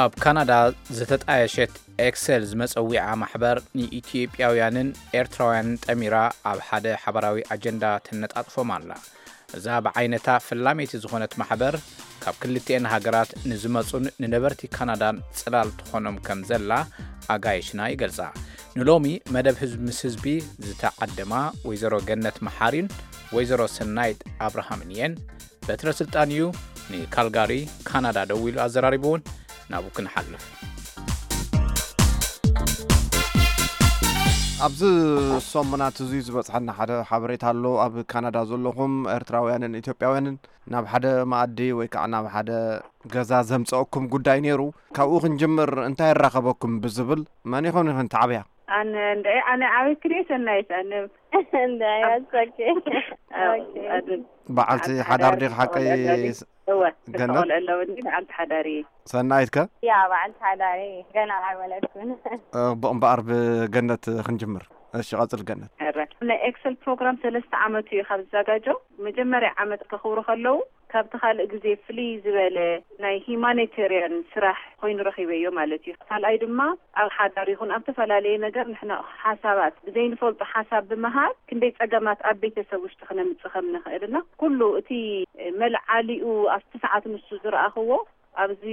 ኣብ ካናዳ ዝተጣየሸት ኤክሰል ዝመጸዊዓ ማሕበር ንኢትዮጵያውያንን ኤርትራውያንን ጠሚራ ኣብ ሓደ ሓባራዊ ኣጀንዳ ተነጣጥፎም ኣላ። እዛ ብዓይነታ ፈላመይቲ ዝኾነት ማሕበር ካብ ክልቲኤን ሃገራት ንዝመጹን ንነበርቲ ካናዳን ጽላል ትኾኖም ከም ዘላ ኣጋይሽና ይገልጻ። ንሎሚ መደብ ህዝቢ ምስ ህዝቢ ዝተዓደማ ወይዘሮ ገነት መሓሪን ወይዘሮ ሰናይት ኣብርሃምን እየን። በትረ ስልጣን እዩ ንካልጋሪ ካናዳ ደዊሉ ኣዘራሪብውን። ናብኡ ክንሓልፍ። ኣብዚ ሰሙናት እዚ ዝበፅሐና ሓደ ሓበሬታ ኣሎ። ኣብ ካናዳ ዘለኹም ኤርትራውያንን ኢትዮጵያውያንን ናብ ሓደ መኣዲ ወይ ከዓ ናብ ሓደ ገዛ ዘምፀአኩም ጉዳይ ነይሩ። ካብኡ ክንጅምር፣ እንታይ ይራኸበኩም ብዝብል፣ መን ይኾን ይኾን ተዓብያ? ኣነ እንደ ኣነ ዓበይ ክልኤ ሰናይት ኣነ እንደ ያጸኬ በዓልቲ ሓዳር ዲኻ ሓቀይ? እወ፣ ገነት? ተቆልዑ ኣለውኒ፣ በዓልቲ ሓዳር እየ። ሰናይት ከ? ያ፣ በዓልቲ ሓዳር እየ፣ ገና ኣይወለድኩን። እ፣ ብእምበኣር ብገነት ክንጅምር። እሺ፣ ቀጽል ገነት። ኧረ፣ ናይ ኤክሰል ፕሮግራም ሰለስተ ዓመቱ እዩ ካብ ዝዘጋጆ። መጀመርያ ዓመት ከኽብሩ ከለዉ፣ ካብቲ ካልእ ግዜ ፍልይ ዝበለ ናይ ሂማኒቴርያን ስራሕ ኮይኑ ረኺበዮ ማለት እዩ። ካልኣይ ድማ ኣብ ሓዳር ይኹን ኣብ ዝተፈላለየ ነገር ንሕና ሓሳባት ብዘይንፈልጦ ሓሳብ ብምሃብ ክንደይ ጸገማት ኣብ ቤተሰብ ውሽጢ ክነምጽእ ከም ንኽእል እና ኩሉ እቲ መልዓሊኡ ኣብቲ ሰዓት ንሱ ዝረኣኽዎ ኣብዚ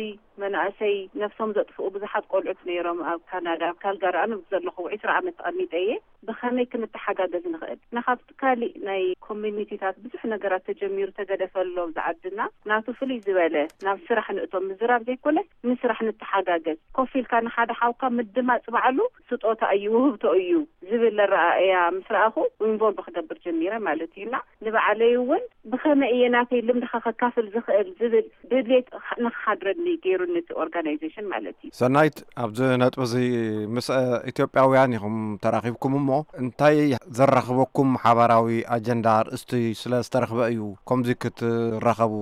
መናእሰይ ነፍሶም ዘጥፍኡ ብዙሓት ቆልዑት ነይሮም ኣብ ካናዳ፣ ኣብ ካልጋሪ ኣነ ዘለኹ ዕስራ ዓመት ተቐሚጠ እየ። ብኸመይ ክንተሓጋገዝ ንኽእል? ንኻብቲ ካሊእ ናይ ኮሚኒቲታት ብዙሕ ነገራት ተጀሚሩ ተገደፈ ኣሎ ኣብዚ ዓድና። ናቱ ፍልይ ዝበለ ናብ ስራሕ ንእቶም ምዝራብ ዘይኮነ ንስራሕ ንተሓጋገዝ። ኮፍ ኢልካ ንሓደ ሓውካ ምድማፅ ባዕሉ ስጦታ እዩ፣ ውህብቶ እዩ ዝብል ኣረኣእያ ምስ ረኣኹ ኢንቮልቭ ክገብር ጀሚረ ማለት እዩ። እና ንባዕለይ እውን ብኸመይ እየ ናተይ ልምድኻ ከካፍል ዝኽእል ዝብል ድሌት ንኽሓድረኒ ገይሩኒ እቲ ኦርጋናይዜሽን ማለት እዩ። ሰናይት፣ ኣብዚ ነጥቢ እዚ ምስ፣ እ፣ ኢትዮጵያውያን ኢኹም ተራኺብኩም እሞ፣ እንታይ ዘራኽበኩም ሓባራዊ ኣጀንዳ ኣርእስቲ ስለ ዝተረኽበ እዩ ከምዚ ክትራኸቡ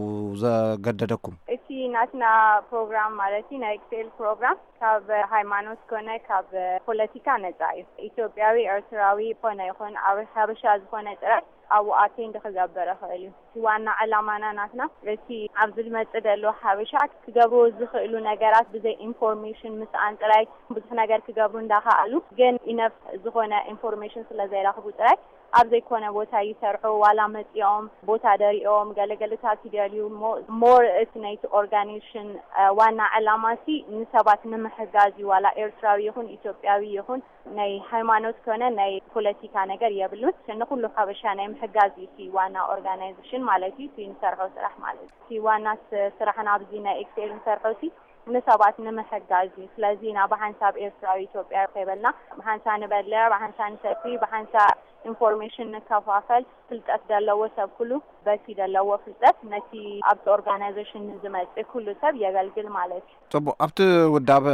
ዘገደደኩም? እቲ ናትና ፕሮግራም ማለት እዩ፣ ናይ ኤክስኤል ፕሮግራም ካብ ሃይማኖት ኮነ ካብ ፖለቲካ ነጻ እዩ። ኢትዮጵያዊ፣ ኤርትራዊ ኮነ ይኹን ኣብ ሓበሻ ዝኾነ ጥራይ ኣብኡ ኣቴንድ ክገብር ይኽእል እዩ። እቲ ዋና ዕላማና ናትና እቲ ኣብዚ ዝመጽእ ዘሎ ሓበሻ ክገብርዎ ዝኽእሉ ነገራት ብዘይ ኢንፎርሜሽን ምስኣን ጥራይ ብዙሕ ነገር ክገብሩ እንዳኸኣሉ ግን ኢነፍ ዝኾነ ኢንፎርሜሽን ስለ ዘይረኽቡ ጥራይ ኣብ ዘይኮነ ቦታ ይሰርሑ። ዋላ መጺኦም ቦታ ደሪኦም ገለገለታት ይደልዩ እሞ ሞር እቲ ናይቲ ኦርጋኔሽን ዋና ዕላማ ሲ ንሰባት ንምሕጋዝ እዩ። ዋላ ኤርትራዊ ይኹን ኢትዮጵያዊ ይኹን ናይ ሃይማኖት ኮነ ናይ ፖለቲካ ነገር የብሉን። ንኹሉ ሓበሻ ናይ ምሕጋዝ እዩ እቲ ዋና ኦርጋናይዜሽን ማለት እዩ፣ እቲ ንሰርሖ ስራሕ ማለት እዩ። እቲ ዋና ስ-፣ ስራሕና ኣብዚ ናይ ኤክስኤል ንሰርሖ ሲ ንሰባት ንምሕጋዝ እዩ። ስለዚ ኢና ብሓንሳብ ኤርትራዊ ኢትዮጵያዊ ከይበልና ብሓንሳ ንበልዕ፣ ብሓንሳ ንሰቲ፣ ብሓንሳ ኢንፎርሜሽን ንከፋፈል፣ ፍልጠት ዘለዎ ሰብ ኩሉ በቲ ዘለዎ ፍልጠት ነቲ ኣብቲ ኦርጋናይዜሽን ንዝመጽእ ኩሉ ሰብ የገልግል ማለት እዩ። ጽቡቕ። ኣብቲ ውዳበ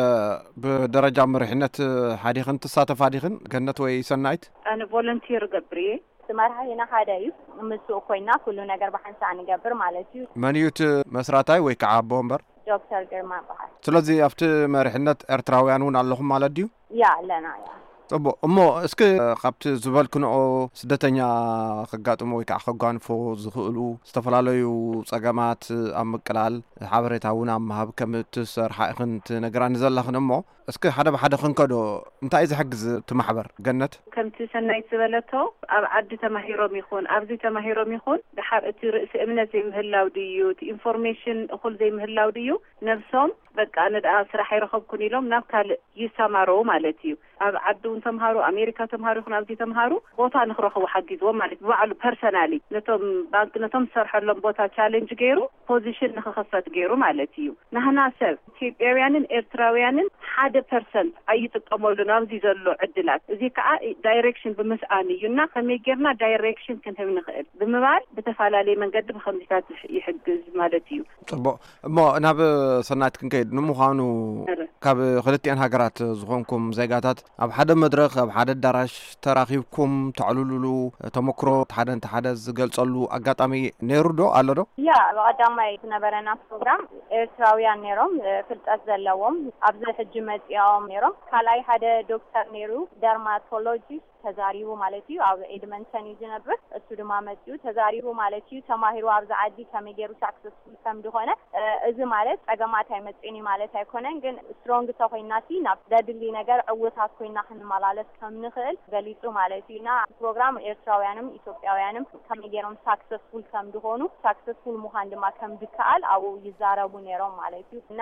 ብደረጃ መሪሕነት ሓዲኽን ትሳተፋ ዲኽን፣ ገነት ወይ ሰናይት? ኣነ ቮለንቲር እገብር እየ። እቲ መራሒና ሓደ እዩ። ምስኡ ኮይና ኩሉ ነገር ብሓንሳእ ንገብር ማለት እዩ። መን እዩ እቲ መስራታይ ወይ ከዓ ኣቦ ወንበር? ዶክተር ግርማ ይበሃል። ስለዚ ኣብቲ መሪሕነት ኤርትራውያን እውን ኣለኹም ማለት ድዩ? ያ፣ ኣለና፣ ያ። ጽቡቕ። እሞ እስኪ ካብቲ ዝበልክንኦ ስደተኛ ከጋጥሞ ወይ ከዓ ከጓንፎ ዝኽእሉ ዝተፈላለዩ ጸገማት ኣብ ምቅላል ሓበሬታ እውን ኣብ ምሃብ ከም እትሰርሓ ኢኽን ትነግራኒ ዘለኽን እሞ፣ እስኪ ሓደ ብሓደ ክንከዶ፣ እንታይ እዩ ዝሕግዝ እቲ ማሕበር ገነት? ከምቲ ሰናይት ዝበለቶ፣ ኣብ ዓዲ ተማሂሮም ይኹን ኣብዚ ተማሂሮም ይኹን፣ ድሓር እቲ ርእሲ እምነት ዘይምህላው ድዩ፣ እቲ ኢንፎርሜሽን እኹል ዘይምህላው ድዩ፣ ነብሶም በቃ ንድኣ ስራሕ ኣይረኸብኩን ኢሎም ናብ ካልእ ይሰማረው ማለት እዩ። ኣብ ዓዲ እውን ተምሃሩ፣ ኣሜሪካ ተምሃሩ ይኹን ኣብዚ ተምሃሩ፣ ቦታ ንክረኽቡ ሓጊዝዎም ማለት እዩ። ብባዕሉ ፐርሰናሊ ነቶም ባንክ፣ ነቶም ዝሰርሐሎም ቦታ ቻሌንጅ ገይሩ ፖዚሽን ንክኽፈት ገይሩ ማለት እዩ። ናህና ሰብ ኢትዮጵያውያንን ኤርትራውያንን ሓደ ፐርሰንት ኣይጥቀመሉን ኣብዚ ዘሎ ዕድላት። እዚ ከዓ ዳይሬክሽን ብምስኣን እዩ እና ከመይ ጌርና ዳይሬክሽን ክንህብ ንኽእል ብምባል ብተፈላለየ መንገዲ ብከምዚታት ይሕ-፣ ይሕግዝ ማለት እዩ። ጽቡቕ። እሞ ናብ ሰናይት ክንከይድ፣ ንምዃኑ እረ። ካብ ክልቲኤን ሃገራት ዝኾንኩም ዜጋታት ኣብ ሓደ መድረኽ፣ ኣብ ሓደ ኣዳራሽ ተራኺብኩም ተዕልሉሉ ተመክሮ፣ እቲ ሓደ ነቲ ሓደ ዝገልጸሉ ኣጋጣሚ ነይሩ ዶ? ኣሎ ዶ? ያ፣ ብቐዳማይ ዝነበረና ፕሮግራም ኤርትራውያን ነይሮም፣ እ፣ ፍልጠት ዘለዎም ኣብዚ ሕጂ መጺኦም ነይሮም። ካልኣይ ሓደ ዶክተር ነይሩ፣ ደርማቶሎጂስት። ተዛሪቡ ማለት እዩ። ኣብ ኤድመንተን እዩ ዝነብር። እሱ ድማ መጺኡ ተዛሪቡ ማለት እዩ። ተማሂሩ ኣብዚ ዓዲ ከመይ ገይሩ ሳክሰስፉል ከም ዝኾነ። እ፣ እዚ ማለት ጸገማት ኣይመጽእን እዩ ማለት ኣይኮነን፣ ግን ስትሮንግ ተኾይናሲ ናብ ዘድሊ ነገር ዕውታት ኮይና ክንመላለስ ከም ንኽእል ገሊጹ ማለት እዩ። እና ፕሮግራም ኤርትራውያንም ኢትዮጵያውያንም ከመይ ገይሮም ሳክሰስፉል ከም ዝኾኑ፣ ሳክሰስፉል ምዃን ድማ ከም ዝከኣል ኣብኡ ይዛረቡ ነይሮም ማለት እዩ። እና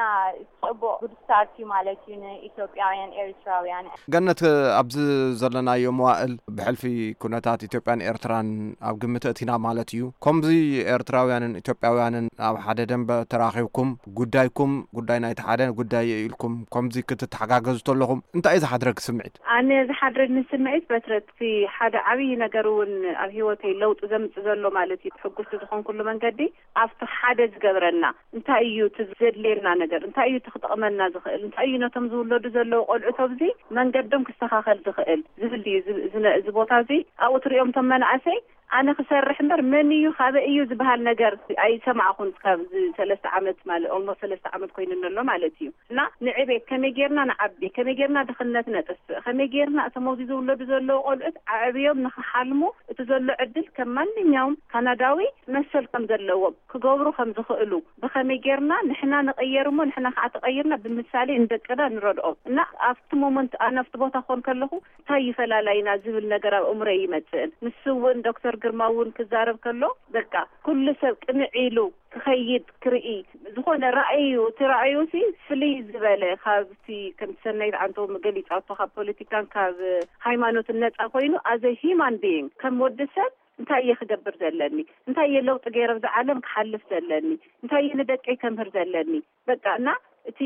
ጽቡቕ ጉድ ስታርት እዩ ማለት እዩ ንኢትዮጵያውያን ኤርትራውያን። ገነት፣ ኣብዚ ዘለናዮ መዋእል ብሕልፊ ኩነታት ኢትዮጵያን ኤርትራን ኣብ ግምት እቲና ማለት እዩ። ከምዚ ኤርትራውያንን ኢትዮጵያውያንን ኣብ ሓደ ደንበ ተራኺብኩም ጉዳይኩም ጉዳይ ናይቲ ሓደ ጉዳይ ኢልኩም ከምዚ ክትተሓጋገዙ ተለኹም እንታይ እዩ ዝሓድረግ ስምዒት? ኣነ ዝሓድረኒ ስምዒት በትረቲ ሓደ ዓብዪ ነገር እውን ኣብ ህይወተይ ለውጢ ዘምጽእ ዘሎ ማለት እዩ። ሕጉስቲ ዝኾንኩሉ መንገዲ ኣብቲ ሓደ ዝገብረና እንታይ እዩ እቲ ዘድልየና ነገር፣ እንታይ እዩ እቲ ክጠቕመና ዝኽእል፣ እንታይ እዩ ነቶም ዝውለዱ ዘለዉ ቆልዑት ኣብዚ መንገዶም ክስተኻኸል ዝኽእል ዝብል እዩ። እዚ፣ እዚ ነ-፣ እዚ ቦታ እዚ ኣብኡ ትሪኦም እቶም መናእሰይ ኣነ ክሰርሕ እምበር መን እዩ ካበይ እዩ ዝበሃል ነገር ኣይሰማዕኹን። ካብ እዚ ሰለስተ ዓመት ማለት ኦልሞስት ሰለስተ ዓመት ኮይኑኒ ኣሎ ማለት እዩ። እና ንዕቤት ከመይ ጌርና ንዓቢ፣ ከመይ ጌርና ድኽነት ነጥፍእ፣ ከመይ ጌርና እቶም ኣብዚ ዝውለዱ ዘለዉ ቆልዑት ኣዕብዮም ንኽሓልሙ እቲ ዘሎ ዕድል ከም ማንኛውም ካናዳዊ መሰል ከም ዘለዎም ክገብሩ ከም ዝኽእሉ ብኸመይ ጌርና ንሕና ንቐየር እሞ ንሕና ከዓ ተቐይርና ብምሳሌ ንደቅና ንረድኦም። እና ኣብቲ ሞመንት ኣነ ኣብቲ ቦታ ክኾን ከለኹ እንታይ ይፈላላይና ዝብል ነገር ኣብ እምሮይ ይመጽእን። ንሱ እውን ዶክተር ግርማ እውን ክዛረብ ከሎ በቃ ኩሉ ሰብ ቅንዕ ኢሉ ክኸይድ ክርኢ ዝኾነ ራእዩ፣ እቲ ራእዩ ሲ ፍልይ ዝበለ ካብቲ ከምቲ ሰናይት ዓንተው ገሊጻቶ ካብ ፖለቲካን ካብ ሃይማኖትን ነጻ ኮይኑ ኣዘ ሂማን ቢይንግ ከም ወዲ ሰብ እንታይ እየ ክገብር ዘለኒ፣ እንታይ እየ ለውጢ ገይረ ኣብዚ ዓለም ክሓልፍ ዘለኒ፣ እንታይ እየ ንደቀይ ከምህር ዘለኒ። በቃ እና እቲ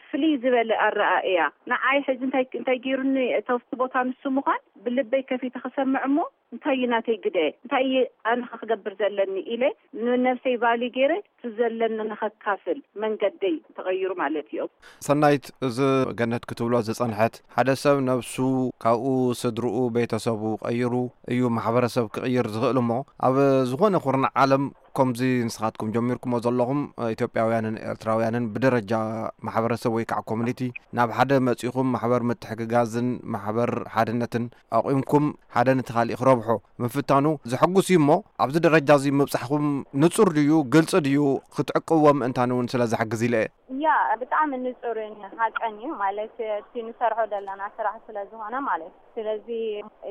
ፍልይ ዝበለ ኣረኣእያ ንዓይ ሕዚ እንታይ እንታይ ገይሩኒ እተውፍቲ ቦታ ንሱ ምዃን ብልበይ ከፊተ ክሰምዕ እሞ እንታይ እዩ ናተይ ግደ፣ እንታይ እየ ኣነ ክገብር ዘለኒ ኢለ ንነብሰይ ቫሊ ገይረ እቲ ዘለኒ ንኸካፍል መንገደይ ተቐይሩ ማለት እዩ። ሰናይት፣ እዚ ገነት ክትብሎ ዝጸንሐት ሓደ ሰብ ነብሱ ካብኡ ስድርኡ ቤተሰቡ ቀይሩ እዩ ማሕበረሰብ ክቕይር ዝኽእል እሞ ኣብ ዝኾነ ኩርናዕ ዓለም ከምዚ ንስኻትኩም ጀሚርኩሞ ዘለኹም ኢትዮጵያውያንን ኤርትራውያንን ብደረጃ ማሕበረሰብ ወይ ከዓ ኮሚኒቲ ናብ ሓደ መጺኹም ማሕበር ምትሕግጋዝን ማሕበር ሓድነትን ኣቑምኩም ሓደ ነቲ ካሊእ ክረብሖ ምፍታኑ ዘሐጉስ እዩ እሞ ኣብዚ ደረጃ እዚ ምብጻሕኩም ንጹር ድዩ ግልጺ ድዩ ክትዕቅብዎም እንታን እውን ስለ ዘሕግዝ ኢለ እየ። ያ ብጣዕሚ ንጹርን ሓቀን እዩ ማለት እቲ ንሰርሖ ዘለና ስራሕ ስለ ዝኾነ ማለት እዩ። ስለዚ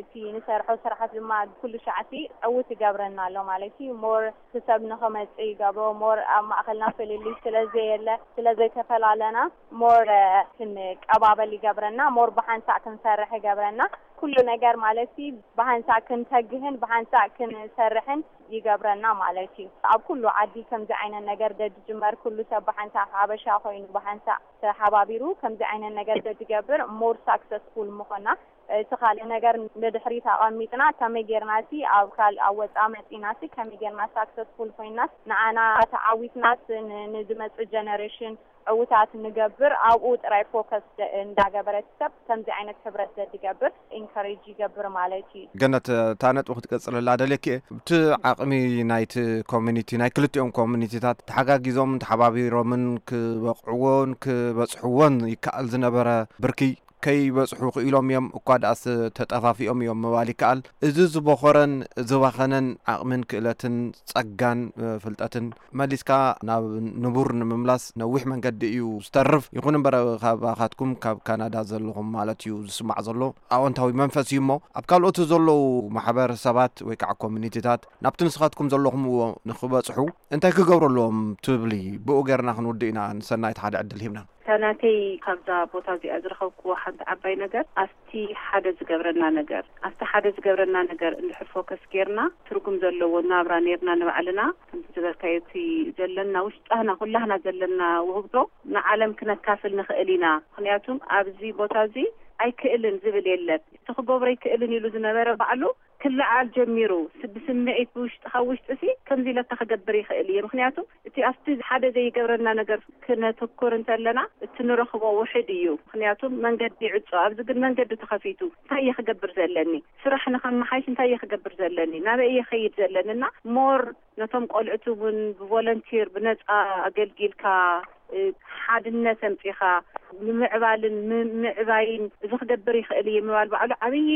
እቲ ንሰርሖ ስራሕ ድማ ኩሉ ሻዕቲ ዕውት ይገብረና ኣሎ ማለት እዩ። ሞር ክሰብ ንኽመጽእ ይገብሮ ሞር ኣብ ማእኸልና ፍልልይ ስለ ዘየለ ስለ ዘይተፈላለና ሞር ክንቀባበል ይገብረና ሞር ብሓንሳእ ክንሰርሕ ይገብረና ኩሉ ነገር ማለት እዩ ብሓንሳእ ክንተግህን ብሓንሳእ ክንሰርሕን ይገብረና ማለት እዩ። ኣብ ኩሉ ዓዲ ከምዚ ዓይነት ነገር ደድጅመር ኩሉ ሰብ ብሓንሳእ ሓበሻ ኮይኑ ብሓንሳእ ተሓባቢሩ ከምዚ ዓይነት ነገር ደድገብር ሞር ሳክሰስፉል ምኾና እቲ ካልእ ነገር ንድሕሪት ኣቐሚጥና ከመይ ጌርና ሲ ኣብ ካልእ ኣብ ወፃኢ መፂና ሲ ከመይ ጌርና ሳክሰስፉል ኮይናስ ንዓና ተዓዊትናስ ንዝመፅእ ጀነሬሽን ዕውታት ንገብር ኣብኡ ጥራይ ፎከስ እንዳገበረት ሰብ ከምዚ ዓይነት ሕብረት ዘድገብር ኢንካሬጅ ይገብር ማለት እዩ። ገነት እታ ነጥቢ ክትቀፅለላ ደልየኪ እየ። ብቲ ዓቕሚ ናይቲ ኮሚኒቲ ናይ ክልቲኦም ኮሚኒቲታት ተሓጋጊዞምን ተሓባቢሮምን ክበቕዕዎን ክበፅሕዎን ይከኣል ዝነበረ ብርኪ ከይበጽሑ ክኢሎም እዮም እኳ ደኣስ ተጠፋፊኦም እዮም ምባል ይከኣል። እዚ ዝበኾረን ዝባኸነን ዓቕምን ክእለትን ጸጋን ፍልጠትን መሊስካ ናብ ንቡር ንምምላስ ነዊሕ መንገዲ እዩ ዝተርፍ። ይኹን እምበር ካባኻትኩም ካብ ካናዳ ዘለኹም ማለት እዩ ዝስማዕ ዘሎ ኣወንታዊ መንፈስ እዩ እሞ ኣብ ካልኦት ዘለዉ ማሕበረሰባት ወይ ከዓ ኮሚኒቲታት ናብቲ ንስኻትኩም ዘለኹምዎ ንኽበጽሑ እንታይ ክገብሩ ኣለዎም ትብሊ? ብኡ ገርና ክንውድእ ኢና ንሰናይት ሓደ ዕድል ሂብና። እታ ናተይ ካብዛ ቦታ እዚኣ ዝረኸብክዎ ሓንቲ ዓባይ ነገር ኣብቲ ሓደ ዝገብረና ነገር ኣብቲ ሓደ ዝገብረና ነገር እንድሕር ፎከስ ጌርና ትርጉም ዘለዎ ናብራ ኔርና ንባዕልና ከምቲ ዝበልካዮ እቲ ዘለና ውሽጣህና ኩላህና ዘለና ውህብቶ ንዓለም ክነካፍል ንኽእል ኢና። ምኽንያቱም ኣብዚ ቦታ እዚ ኣይክእልን ዝብል የለን። እቲ ክገብሮ ኣይክእልን ኢሉ ዝነበረ ባዕሉ ክለዓል ጀሚሩ ብስምዒት ብውሽጢ ካብ ውሽጢ ሲ ከምዚ ኢለካ ክገብር ይኽእል እየ ምክንያቱ እቲ ኣብቲ ሓደ ዘይገብረና ነገር ክነተኩር እንተለና እቲ ንረኽቦ ውሕድ እዩ ምክንያቱ መንገዲ ይዕጾ ኣብዚ ግን መንገዲ ተኸፊቱ እንታይ እየ ክገብር ዘለኒ ስራሕ ንኸመሓይሽ እንታይ እየ ክገብር ዘለኒ ናበይ እየ ኸይድ ዘለኒ እና ሞር ነቶም ቆልዑት እውን ብቮለንቲር ብነፃ ኣገልጊልካ ሓድነት ኣምፂኻ ንምዕባልን ምምዕባይን እዚ ክገብር ይኽእል እየ ምባል ባዕሉ ዓብዪ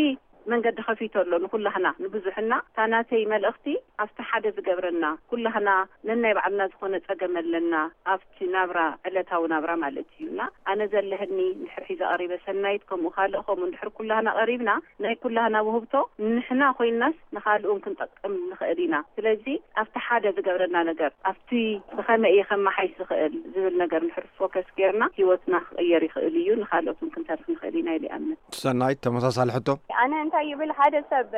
መንገዲ ከፊቱ ኣሎ ንኩላህና፣ ንብዙሕና። እታ ናተይ መልእኽቲ ኣብቲ ሓደ ዝገብረና፣ ኩላህና ነናይ ባዕልና ዝኾነ ጸገም ኣለና ኣብቲ ናብራ፣ ዕለታዊ ናብራ ማለት እዩ። እና ኣነ ዘለህኒ እንድሕር ሒዘ ቀሪበ፣ ሰናይት ከምኡ ካልእ ከምኡ እንድሕር ኩላህና ቀሪብና፣ ናይ ኩላህና ውህብቶ ንሕና ኮይንናስ ንኻልእ እውን ክንጠቅም ንኽእል ኢና። ስለዚ ኣብቲ ሓደ ዝገብረና ነገር፣ ኣብቲ ብኸመይ እየ ከመሓይሽ ዝኽእል ዝብል ነገር እንድሕር ፎከስ ጌርና፣ ህይወትና ክቕየር ይኽእል እዩ፣ ንኻልኦት እውን ክንተርፍ ንኽእል ኢና ኢለ ይኣምን። ሰናይት፣ ተመሳሳሊ ሕቶ። ኣነ እንታይ ይብል፣ ሓደ ሰብ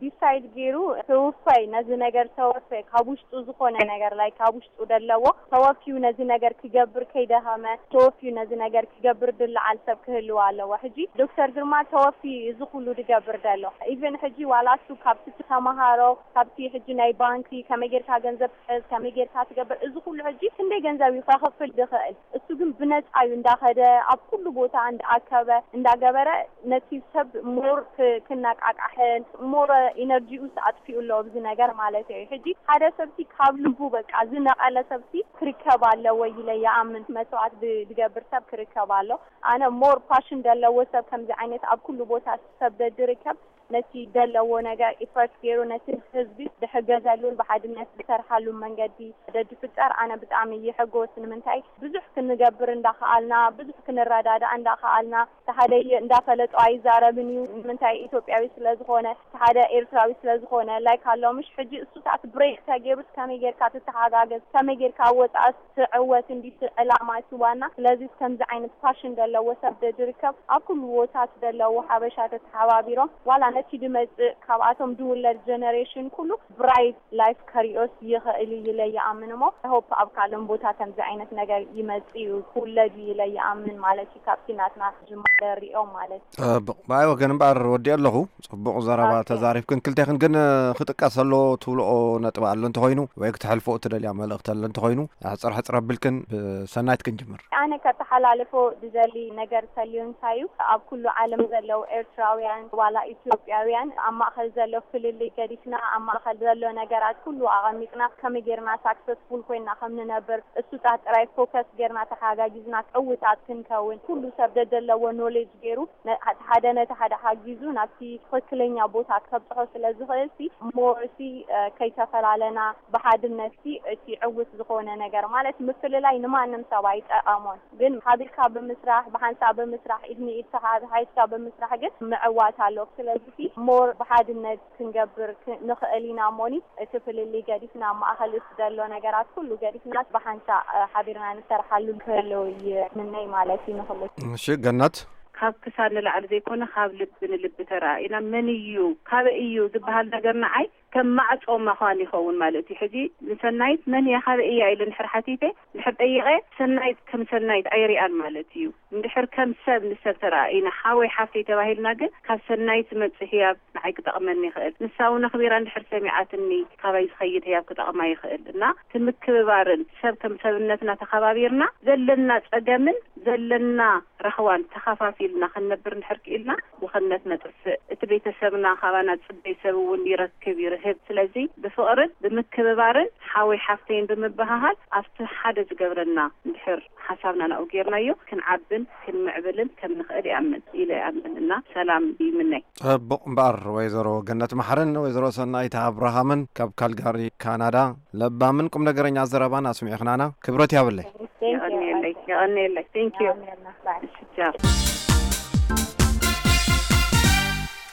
ዲሳይድ ገይሩ ተወፋይ ነዚ ነገር፣ ተወፋይ ካብ ውሽጡ ዝኾነ ነገር ላይ ካብ ውሽጡ ደለዎ ተወፊዩ ነዚ ነገር ክገብር ከይደኸመ፣ ተወፊዩ ነዚ ነገር ክገብር ድለዓል ሰብ ክህልው ኣለዎ። ሕጂ ዶክተር ግርማ ተወፊ እዚ ኩሉ ድገብር ደሎ። ኢቨን ሕጂ ዋላ እሱ ካብቲ ተመሃሮ፣ ካብቲ ሕጂ ናይ ባንኪ ከመይ ጌርካ ገንዘብ ትሕዝ፣ ከመይ ጌርካ ትገብር፣ እዚ ኩሉ ሕጂ ክንደይ ገንዘብ እዩ ከኽፍል ድኽእል? እሱ ግን ብነጻ እዩ እንዳኸደ፣ ኣብ ኩሉ ቦታ እንዳኣከበ፣ እንዳገበረ ነቲ ሰብ ሞር ክ-፣ ክነቃቃሕን ሞር ኢነርጂኡስ ኣጥፊኡ ኣሎ ኣብዚ ነገር ማለት እዩ። ሕጂ ሓደ ሰብሲ ካብ ልቡ በቃ ዝነቐለ ሰብሲ ክርከብ ኣለዎ ኢለ ይኣምን። መስዋዕት ብ-፣ ዝገብር ሰብ ክርከብ ኣሎ። ኣነ ሞር ፓሽን ዘለዎ ሰብ ከምዚ ዓይነት ኣብ ኩሉ ቦታ ሰብ ደድርከብ ነቲ ደለዎ ነገር ኢፈርት ገይሩ ነቲ ህዝቢ ዝሕገዘሉን ብሓድነት ዝሰርሓሉ መንገዲ ደድፍጠር ኣነ ብጣዕሚ ይሕጎስ። ንምንታይ ብዙሕ ክንገብር እንዳኸኣልና፣ ብዙሕ ክንረዳዳእ እንዳኸኣልና፣ እቲ ሓደ እንዳፈለጦ ኣይዛረብን እዩ። ንምንታይ ኢትዮጵያዊ ስለ ዝኾነ፣ እቲ ሓደ ኤርትራዊ ስለ ዝኾነ፣ ላይክ ኣሎ ምሽ ሕጂ እሱታት ብሬክ ተገይሩስ ከመይ ጌርካ ትተሓጋገዝ፣ ከመይ ጌርካ ኣብ ወፃእ ትዕወት እንዲ እቲ ዕላማ እቲ ዋና። ስለዚ ከምዚ ዓይነት ፓሽን ዘለዎ ሰብ ደድርከብ ኣብ ኩሉ ቦታት ዘለዉ ሓበሻ ተተሓባቢሮም ዋላ ነቲ ድመጽእ ካብኣቶም ድውለድ ጀነሬሽን ኩሉ ብራይት ላይፍ ከሪኦስ ይኽእል እዩ ኢለ ይኣምን እሞ፣ ሆፕ ኣብ ካልእን ቦታ ከምዚ ዓይነት ነገር ይመጽእ እዩ ክውለድ እዩ ኢለ ይኣምን ማለት እዩ። ካብቲ ናትና ጅማረ ሪኦም ማለት እዩ። ጽቡቕ። ብኣይ ወገን እምበኣር ወዲኦ ኣለኹ። ጽቡቕ ዘረባ ኣኬ። ተዛሪብክን ክልቴኽን፣ ግን ክጥቀስ ኣለዎ ትብልኦ ነጥቢ ኣሎ እንተኾይኑ ወይ ክትሕልፍኦ ትደልያ መልእኽቲ ኣሎ እንተኾይኑ፣ ሕጽር ሕጽር ኣቢልክን ብሰናይት ክንጅምር። ኣነ ከተሓላልፎ ዝደሊ ነገር ተልዩ እንታይ እዩ፣ ኣብ ኩሉ ዓለም ዘለዉ ኤርትራውያን ዋላ ኢትዮጵያውያን ኣብ ማእከል ዘሎ ፍልልይ ገዲፍና፣ ኣብ ማእከል ዘሎ ነገራት ኩሉ ኣቐሚጥና፣ ከመይ ጌርና ሳክሰስፉል ኮይና ከም ንነብር፣ እሱታት ጥራይ ፎከስ ጌርና ተሓጋጊዝና ዕውታት ክንከውን፣ ኩሉ ሰብ ደደለዎ ኖሌጅ ገይሩ፣ ነ-፣ ሓደ ነቲ ሓደ ሓጊዙ ናብቲ ትኽክለኛ ቦታ ከብጽሖ ስለ ዝኽእል ሲ፣ ሞር ሲ፣ እ፣ ከይተፈላለና ብሓድነት ሲ፣ እቲ ዕውት ዝኾነ ነገር ማለት ምፍልላይ ንማንም ሰብ ኣይጠቐሞን። ግን ሓቢርካ ብምስራሕ፣ ብሓንሳብ ብምስራሕ፣ ኢድ ንኢድ ተሓሒዝካ ብምስራሕ ግን ምዕዋት ኣሎ። ስለዚ ሲ፣ ሞር ብሓድነት ክንገብር ክ-፣ ንኽእል ኢና እሞኒ፣ እቲ ፍልልይ ገዲፍና ኣብ ማእኸል እቲ ዘሎ ነገራት ኩሉ ገዲፍና ብሓንሳእ፣ እ፣ ሓቢርና ንሰርሓሉ ክህልው ይምነይ ማለት እዩ ንኹሉ። እሺ፣ ገነት። ካብ ክሳድ ንላዕሊ ዘይኮነ፣ ካብ ልቢ ንልቢ ተረኣኢና፣ መን እዩ፣ ካበይ እዩ ዝበሃል ነገር ንዓይ ከም ማዕጾ ምዃን ይኸውን ማለት እዩ። ሕጂ ንሰናይት መን እያ፣ ካበይ እያ ኢለ እንድሕር ሓቲተ፣ እንድሕር ጠይቐ፣ ሰናይት ከም ሰናይት ኣይሪኣን ማለት እዩ። እንድሕር ከም ሰብ ንሰብ ተረኣኢና፣ ሓወይ ሓፍተይ ተባሂልና ግን፣ ካብ ሰናይት ዝመጽእ ህያብ ንዓይ ክጠቕመኒ ይኽእል። ንሳ እውን ኣኽቢራ እንድሕር ሰሚዓትኒ፣ ካባይ ዝኸይድ ህያብ ክጠቕማ ይኽእል። እና እቲ ምክብባርን ሰብ ከም ሰብነትና ተኸባቢርና፣ ዘለና ጸገምን ዘለና ራህዋን ተኸፋፊልና ክንነብር እንድሕር ክኢልና፣ ድኽነት ነጥፍእ። እቲ ቤተሰብና ካባና ዝጽበይ ሰብ እውን ይረክብ፣ ይርህብ። ስለዚ ብፍቕርን ብምክብባርን ሓወይ ሓፍተይን ብምብህሃል ኣብቲ ሓደ ዝገብረና እንድሕር ሓሳብና ናብኡ ጌርናዮ ክንዓብን ክንምዕብልን ከም ንኽእል ይኣምን ኢለ ይኣምን እና ሰላም ይምነይ። ጽቡቕ እምበኣር ወይዘሮ ገነት መሓርን ወይዘሮ ሰናይት ኣብርሃምን ካብ ካልጋሪ ካናዳ ለባምን ቁም ነገረኛ ዘረባን ኣስሚዕኽናና ክብረት ያብለይ። የቐንየለይ፣ የቐንየለይ። Thank you። እሺ፣ ቻው።